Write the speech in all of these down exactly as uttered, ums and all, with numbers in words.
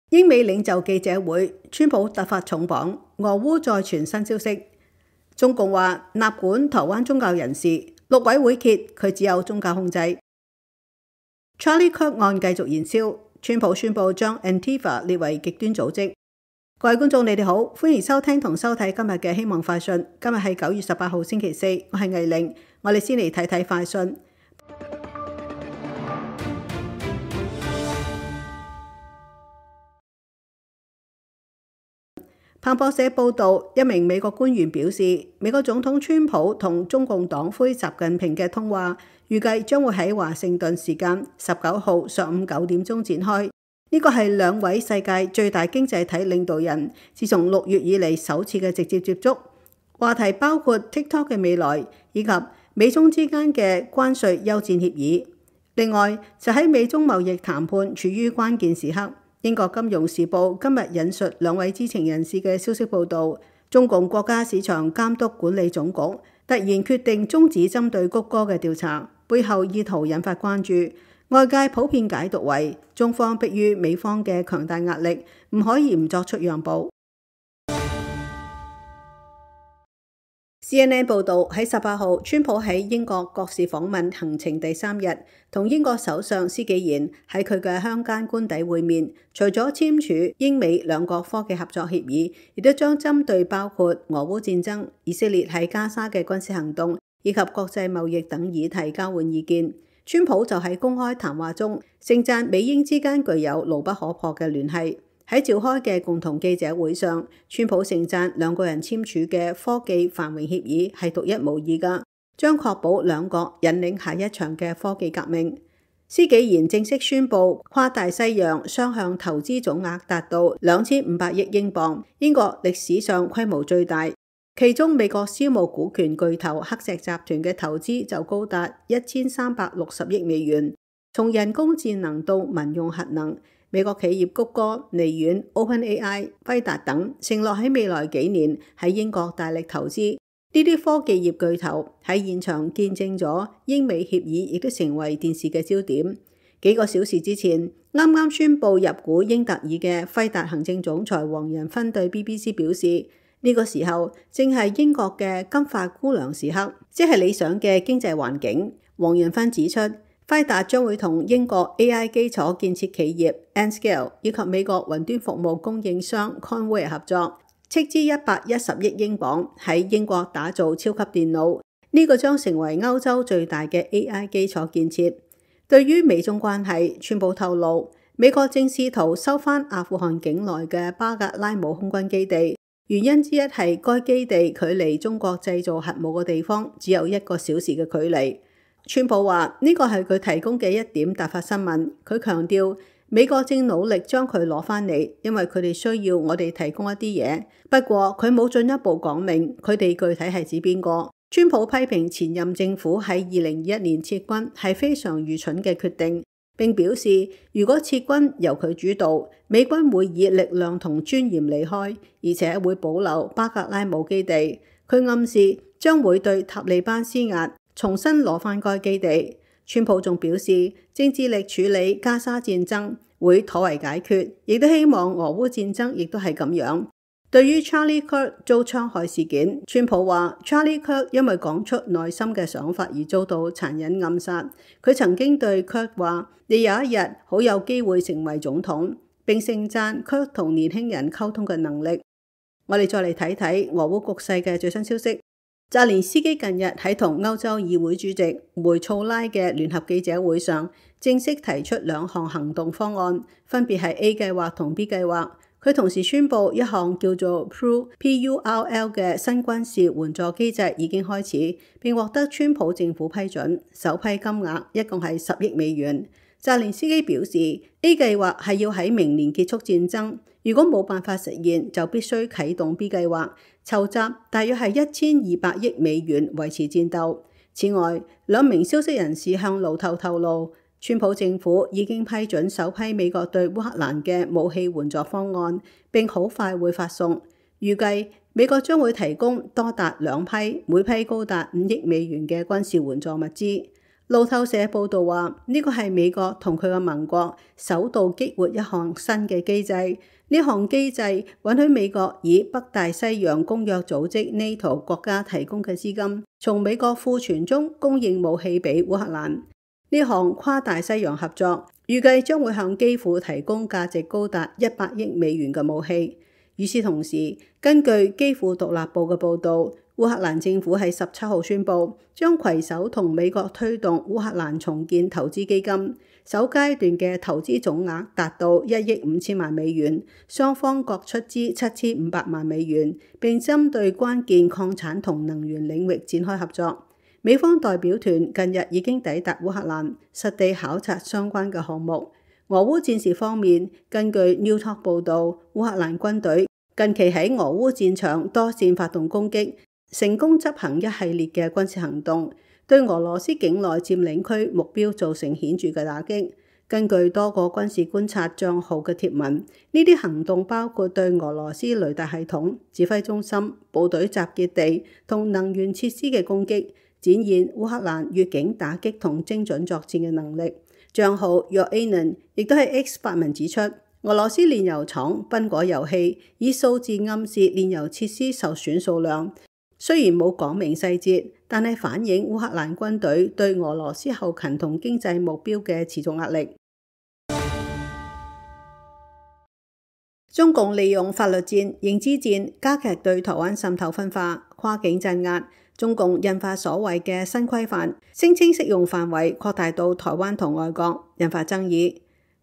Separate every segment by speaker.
Speaker 1: 英美領袖記者會，川普突發重磅，俄烏再傳新消息。中共話納管台灣宗教人士，陸委會揭佢只有宗教控制。Charlie Kirk 案繼續燃燒，川普宣布將 Antifa 列為極端組織。各位觀眾，你哋好，歡迎收聽同收睇今日嘅希望快訊。今日係九月十八號星期四，我係魏玲，我哋先嚟睇睇快訊。彭博社報導，一名美國官員表示，美國總統川普同中共黨魁習近平嘅通話，預計將會喺華盛頓時間十九號上午九點鐘展開。呢個係兩位世界最大經濟體領導人自從六月以嚟首次嘅直接接觸。話題包括 TikTok 嘅未來，以及美中之間嘅關稅休戰協議。另外，就喺美中貿易談判處於關鍵時刻。英國金融時報今日引述兩位知情人士嘅消息報導，中共國家市場監督管理總局突然決定終止針對谷歌嘅調查，背後意圖引發關注。外界普遍解讀為中方迫於美方嘅強大壓力，唔可以唔作出讓步。C N N 報導喺十八號，川普喺英國國事訪問行程第三日，同英國首相施紀賢喺佢嘅鄉間官邸會面。除咗簽署英美兩國科技合作協議，亦都將針對包括俄烏戰爭、以色列喺加沙嘅軍事行動以及國際貿易等議題交換意見。川普就喺公開談話中盛讚美英之間具有牢不可破嘅聯繫。喺召開嘅共同記者會上，川普盛讚兩個人簽署嘅科技繁榮協議係獨一無二㗎，將確保兩國引領下一場嘅科技革命。施紀賢正式宣布跨大西洋雙向投資總額達到兩千五百億英鎊，英國歷史上規模最大。其中美國私募股權巨頭黑石集團嘅投資就高達一千三百六十億美元，從人工智能到民用核能。美國企業谷歌、微軟、OpenAI、輝達等承諾喺未來幾年喺英國大力投資。呢啲科技業巨頭喺現場見證咗英美協議，亦都成為電視嘅焦點。幾個小時之前，啱啱宣布入股英特爾嘅輝達行政總裁黃仁勳對 B B C 表示，呢個時候正係英國嘅金髮姑娘時刻，即係理想嘅經濟環境。黃仁勳指出，輝達將會同英國 A I 基礎建設企業 Anscale 以及美國雲端服務供應商 Conway 合作，斥資一百一十億英鎊喺英國打造超級電腦。呢個將成為歐洲最大嘅 A I 基礎建設。對於美中關係，川普透露，美國正試圖收返阿富汗境內嘅巴格拉姆空軍基地，原因之一係該基地距離中國製造核武嘅地方只有一個小時嘅距離。川普話呢個係佢提供嘅一點突發新聞。佢強調美國正努力將佢攞返嚟，因為佢哋需要我哋提供一啲嘢。不過佢冇進一步講明佢哋具體係指邊個。川普批評前任政府喺二零二一年撤軍係非常愚蠢嘅決定，並表示如果撤軍由佢主導，美軍會以力量同尊嚴離開，而且會保留巴格拉姆基地。佢暗示將會對塔利班施壓，重新攞返該基地。川普仲表示，正致力處理加沙戰爭，會妥為解決，亦都希望俄烏戰爭亦都係咁樣。對於 Charlie Kirk 遭槍害事件，川普話 Charlie Kirk 因為講出內心嘅想法而遭到殘忍暗殺。佢曾經對 Kirk 話：你有一日好有機會成為總統，並盛讚 Kirk 同年輕人溝通嘅能力。我哋再嚟睇睇俄烏局勢嘅最新消息。澤連斯基近日喺同歐洲議會主席梅措拉嘅聯合記者會上，正式提出兩項行動方案，分別係 A 計劃同 B 計劃。佢同時宣布一項叫做 P U R L 嘅新軍事援助機制已經開始，並獲得川普政府批准，首批金額一共係十億美元。澤連斯基表示 A 計劃係要喺明年結束戰爭，如果冇辦法實現，就必須啟動 B 計劃，籌集大約係一千二百億美元維持戰鬥。此外，兩名消息人士向路透透露，川普政府已經批准首批美國對烏克蘭嘅武器援助方案，並好快會發送。預計美國將會提供多達兩批，每批高達五億美元嘅軍事援助物資。路透社報道話，呢個係美國同佢嘅盟國首度激活一項新嘅機制。呢項機制允許美國以北大西洋公約組織 NATO 國家提供嘅資金，從美國庫存中供應武器俾烏克蘭。呢項跨大西洋合作預計將會向基輔提供價值高達一百億美元嘅武器。與此同時，根據基輔獨立報嘅報導，烏克蘭政府喺十七號宣布，將攜手同美國推動烏克蘭重建投資基金，首階段嘅投資總額達到一億五千萬美元，雙方各出資七千五百萬美元，並針對關鍵礦產同能源領域展開合作。美方代表團近日已經抵達烏克蘭，實地考察相關嘅項目。俄烏戰事方面，根據 New Talk 報導，烏克蘭軍隊近期喺俄烏戰場多線發動攻擊，成功執行一系列嘅軍事行動，對俄羅斯境內佔領區目標造成顯著嘅打擊。根據多個軍事觀察帳號嘅貼文，呢啲行動包括對俄羅斯雷達系統、指揮中心、部隊集結地同能源設施嘅攻擊，展現烏克蘭越境打擊同精準作戰嘅能力。帳號 Yoanon 亦都喺 X 發文指出，俄羅斯煉油廠賓果油氣以數字暗示煉油設施受損數量，雖然冇講明細節，但係反映烏克蘭軍隊對俄羅斯後勤同經濟目標嘅持續壓力。中共利用法律戰、認知戰加劇對台灣滲透分化、跨境鎮壓。中共印發所謂嘅新規範，聲稱適用範圍擴大到台灣同外國，引發爭議。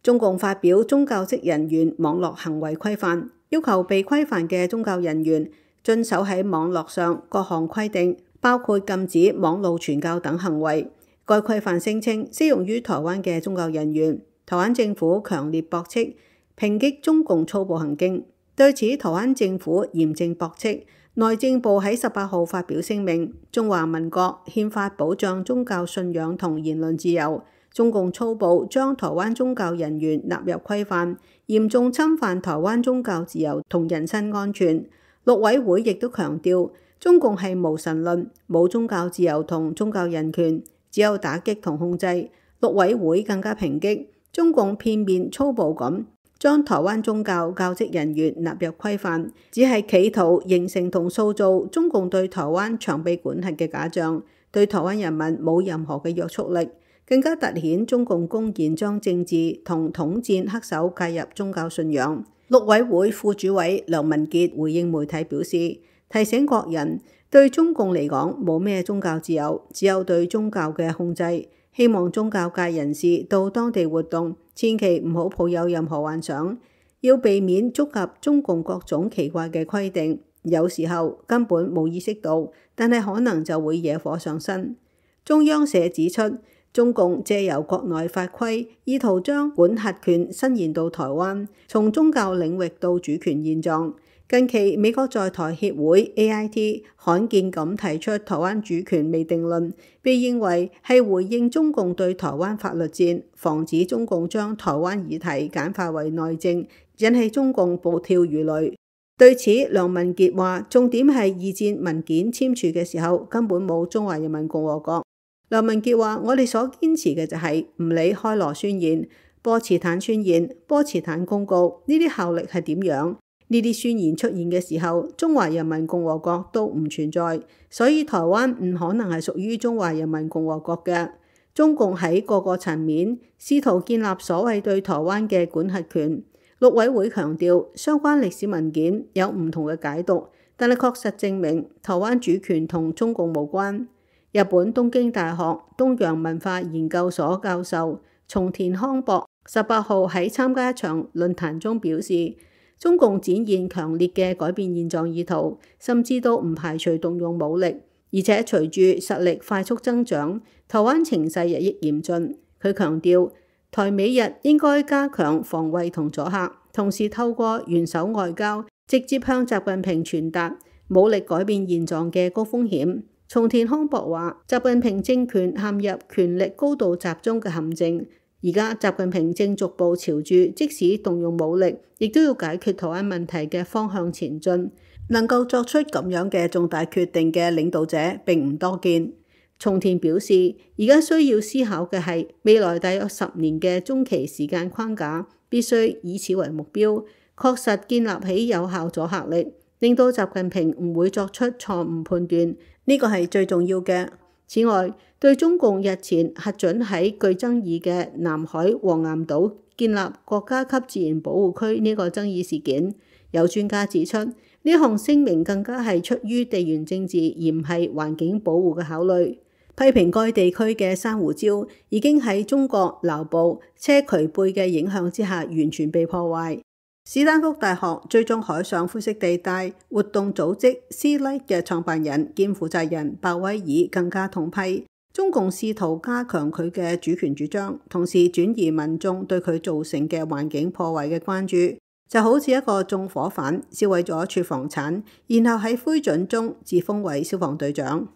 Speaker 1: 中共發表宗教職人員網絡行為規範，要求被規範嘅宗教人員遵守喺網絡上各項規定，包括禁止網路傳教等行為。該規範聲稱適用於台灣嘅宗教人員。台灣政府強烈駁斥，抨擊中共粗暴行徑。對此，台灣政府嚴正駁斥。內政部喺十八號發表聲明，中華民國憲法保障宗教信仰同言論自由，中共粗暴將台灣宗教人員納入規範，嚴重侵犯台灣宗教自由同人身安全。陸委會亦都強調，中共係無神論，冇宗教自由同宗教人權，只有打擊同控制。陸委會更加抨擊中共片面粗暴咁將台灣宗教教職人員納入規範，只係企圖形成同塑造中共對台灣長臂管轄嘅假象，對台灣人民冇任何嘅約束力，更加凸顯中共公然將政治同統戰黑手介入宗教信仰。陸委會副主委梁文傑回應媒體表示，提醒國人對中共嚟講冇咩宗教自由，只有對宗教嘅控制。希望宗教界人士到當地活動，千祈唔好抱有任何幻想，要避免觸及中共各種奇怪嘅規定。有時候根本冇意識到，但係可能就會惹火上身。中央社指出，中共借由國內法規，意圖將管轄權伸延到台灣，從宗教領域到主權現狀。近期美國在台協會 A I T 罕見咁提出台灣主權未定論，被認為係回應中共對台灣法律戰，防止中共將台灣議題簡化為內政，引起中共暴跳如雷。對此，梁文傑話，重點係二戰文件簽署嘅時候根本冇中華人民共和國。梁文傑話，我哋所堅持嘅就係唔理開羅宣言、波茨坦宣言、波茨坦公告呢啲效力係點樣。呢啲宣言出現嘅時候，中華人民共和國都唔存在，所以台灣唔可能係屬於中華人民共和國嘅。中共喺各個層面試圖建立所謂對台灣嘅管轄權。陸委會強調，相關歷史文件有唔同嘅解讀，但係確實證明台灣主權同中共無關。日本東京大學東洋文化研究所教授松田康博十八號喺參加一場論壇中表示，中共展現強烈嘅改變現狀意圖，甚至都唔排除動用武力，而且隨住實力快速增長，台灣情勢日益嚴峻。佢強調，台美日應該加強防衛同阻嚇，同時透過元首外交直接向習近平傳達武力改變現狀嘅高風險。松田康博話，習近平政權陷入權力高度集中嘅陷阱。而家習近平正逐步朝住即使動用武力，亦都要解決台灣問題嘅方向前進。能夠作出咁樣嘅重大決定嘅領導者並唔多見。松田表示，而家需要思考嘅係未來大約十年嘅中期時間框架，必須以此為目標，確實建立起有效阻嚇力，令到習近平唔會作出錯誤判斷，呢個係最重要嘅。此外，對中共日前核准喺具爭議嘅南海黃岩島建立國家級自然保護區呢個爭議事件，有專家指出，呢項聲明更加係出於地緣政治而唔係環境保護嘅考慮。批評該地區嘅珊瑚礁已經喺中國南部車渠貝嘅影響之下完全被破壞。史丹福大學追蹤海上灰色地帶活動組織 Sea Light 嘅創辦人兼負責人鮑威爾更加痛批，中共試圖加強佢嘅主權主張，同時轉移民眾對佢造成嘅環境破壞嘅關注，就好似一個縱火犯燒毀咗處房產，然後喺灰燼中自封為消防隊長。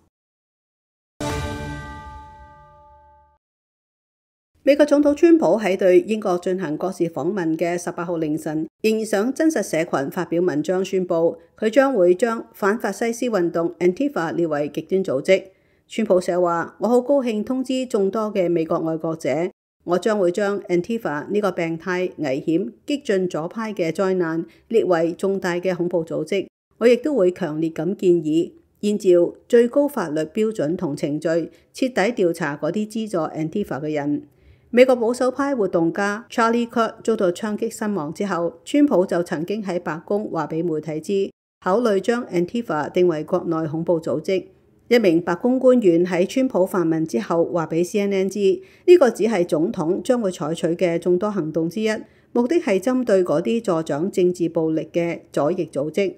Speaker 1: 美國總統川普喺對英國進行國事訪問嘅十八號凌晨，仍然上真實社群發表文章，宣布佢將會將反法西斯運動 Antifa 列為極端組織。川普寫話：我好高興通知眾多嘅美國愛國者，我將會將 Antifa 呢個病態、危險、激進左派嘅災難列為重大嘅恐怖組織。我亦都會強烈咁建議，依照最高法律標準同程序，徹底調查嗰啲資助 Antifa 嘅人。美國保守派活動家 Charlie Kirk 遭到槍擊身亡之後，川普就曾經喺白宮話俾媒體知，考慮將 Antifa 定為國內恐怖組織。一名白宮官員喺川普發問之後話俾 C N N 知，呢、這個只係總統將會採取嘅眾多行動之一，目的係針對嗰啲助長政治暴力嘅左翼組織。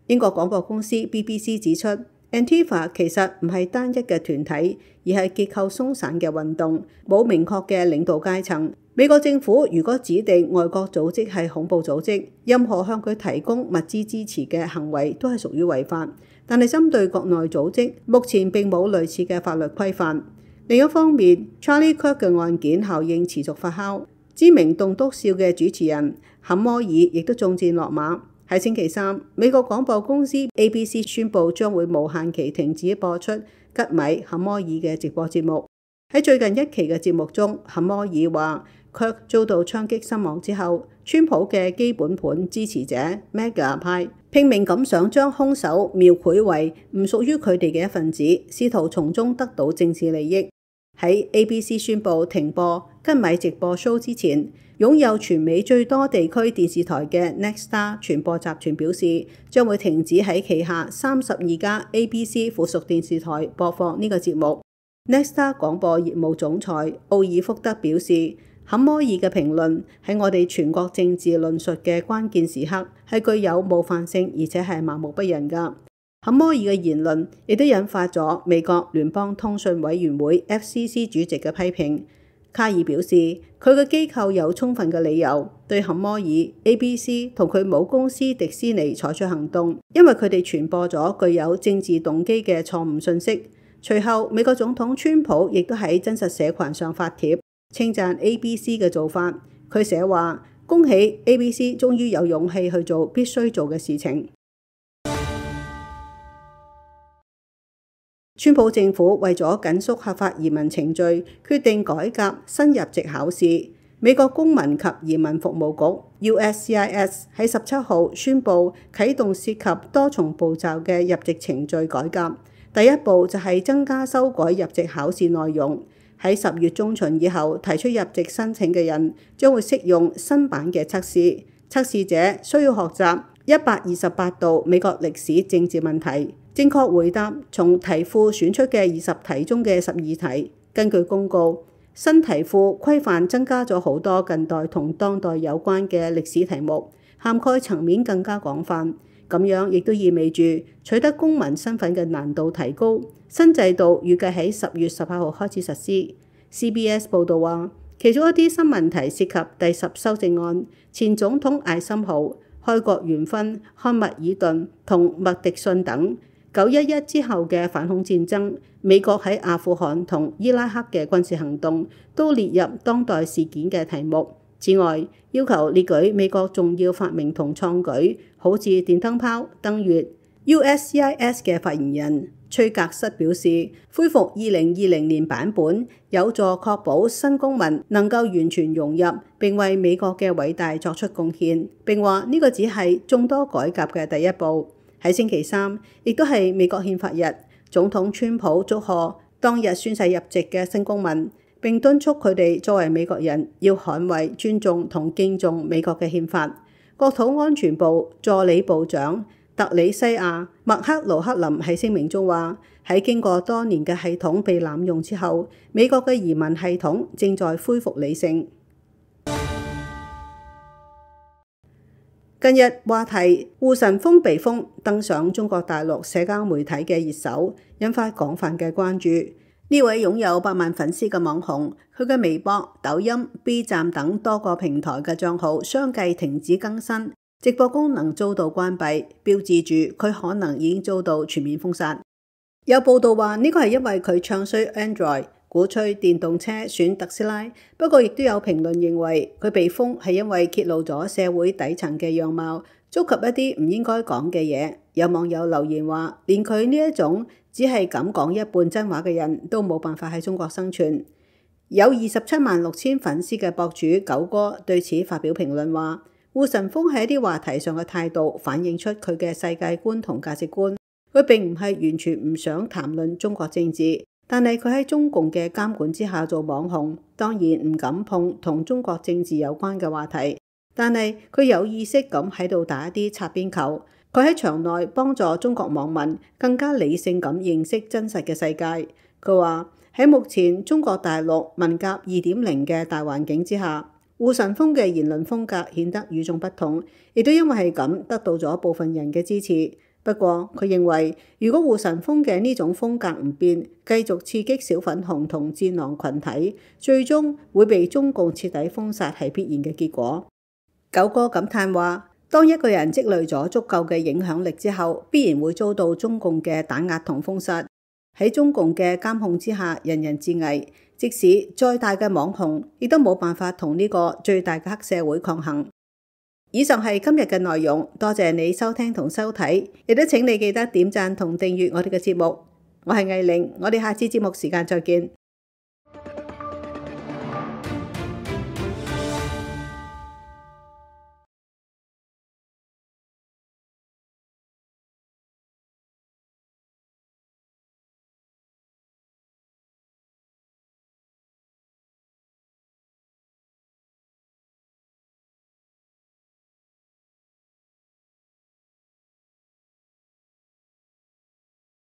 Speaker 1: 英國廣播公司 B B C 指出，Antifa 其實唔係單一嘅團體，而係結構鬆散嘅運動，冇明確嘅領導階層。美國政府如果指定外國組織係恐怖組織，任何向佢提供物資支持嘅行為都係屬於違法。但係針對國內組織，目前並冇類似嘅法律規範。另一方面 ，Charlie Kirk 嘅案件效應持續發酵，知名棟篤笑嘅主持人坎摩爾亦都中箭落馬。喺星期三，美國廣播公司 A B C 宣布將會無限期停止播出吉米坎摩爾嘅直播節目。喺最近一期嘅節目中，坎摩爾話卻遭到槍擊身亡之後，川普嘅基本盤支持者 Mega 派拼命咁想將兇手描繪為唔屬於佢哋嘅一份子，試圖從中得到政治利益。喺 A B C 宣布停播吉米直播 show 之前，擁有全美最多地區電視台嘅 Nexstar 傳播集團表示，將會停止喺旗下三十二家 A B C 附屬電視台播放呢個節目。Nexstar 廣播業務總裁奧爾福德表示，坎摩爾嘅評論喺我哋全國政治論述嘅關鍵時刻係具有冒犯性，而且係麻木不仁㗎。坎摩爾嘅言論亦都引發咗美國聯邦通訊委員會 F C C 主席嘅批評。卡爾表示，佢嘅機構有充分嘅理由對坎摩爾、A B C 同佢母公司迪士尼採取行動，因為佢哋傳播咗具有政治動機嘅錯誤信息。隨後，美國總統川普亦都喺真實社群上發帖稱讚 A B C 嘅做法。佢寫話：恭喜 A B C 終於有勇氣去做必須做嘅事情。川普政府為咗緊縮合法移民程序，決定改革新入籍考試。美國公民及移民服務局 U S C I S 喺十七號宣布啟動涉及多重步驟嘅入籍程序改革。第一步就係增加修改入籍考試內容。喺十月中旬以後提出入籍申請嘅人將會適用新版嘅測試。測試者需要學習一百二十八道美國歷史政治問題，正確回答從題庫選出嘅二十題中嘅十二題。根據公告，新題庫規範增加咗好多近代同當代有關嘅歷史題目，涵蓋層面更加廣泛。咁樣亦都意味住取得公民身份嘅難度提高。新制度預計喺十月十八號開始實施。C B S 報導話，其中一啲新問題涉及第十修正案、前總統艾森豪、開國元勳漢密爾頓同麥迪遜等、九一一之後嘅反恐戰爭、美國喺阿富汗同伊拉克嘅軍事行動，都列入當代事件嘅題目。此外，要求列舉美國重要發明同創舉，好似電燈泡、登月。U S C I S 嘅發言人崔格瑟表示，恢復二零二零年版本有助確保新公民能夠完全融入並為美國嘅偉大作出貢獻，並話呢個只係眾多改革嘅第一步。喺星期三，亦都係美國憲法日，總統川普祝賀當日宣誓入籍嘅新公民，並敦促佢哋作為美國人要捍衛、尊重同敬重美國嘅憲法。國土安全部助理部長特里西亞·麥克盧克林喺聲明中話：喺經過多年嘅系統被濫用之後，美國嘅移民系統正在恢復理性。近日話題護神風被封登上中國大陸社交媒體嘅熱搜，引發廣泛嘅關注。呢位擁有百萬粉絲嘅網紅，佢嘅微博、抖音、B 站等多個平台嘅賬號相繼停止更新，直播功能遭到關閉，標誌住佢可能已經遭到全面封殺。有報道話呢個係因為佢唱衰 Android， 鼓吹電動車選特斯拉。不過亦都有評論認為佢被封係因為揭露咗社會底層嘅樣貌，觸及一啲唔應該講嘅嘢。有網友留言話，連佢呢一種只係敢講一半真話嘅人都冇辦法喺中國生存。有二十七萬六千粉絲嘅博主九哥對此發表評論話，護神風喺一啲話題上嘅態度反映出佢嘅世界觀同價值觀。佢並唔係完全唔想談論中國政治，但係佢喺中共嘅監管之下做網紅，當然唔敢碰同中國政治有關嘅話題。但係佢有意識咁喺度打一啲擦邊球。佢喺場內幫助中國網民更加理性咁認識真實嘅世界。佢話喺目前中國大陸文革二點零嘅大環境之下，護神風嘅言論風格顯得與眾不同，亦都因為係咁得到咗部分人嘅支持。不過佢認為，如果護神風嘅呢種風格唔變，繼續刺激小粉紅同戰狼群體，最終會被中共徹底封殺係必然嘅結果。九哥感嘆話，當一個人積累咗足夠嘅影響力之後，必然會遭到中共嘅打壓同封殺。喺中共嘅監控之下，人人自危。即使再大嘅網紅，亦都冇辦法同呢個最大嘅黑社會抗衡。以上係今日嘅內容，多謝你收聽同收睇，亦都請你記得點讚同訂閱我哋嘅節目。我係藝玲，我哋下次節目時間再見。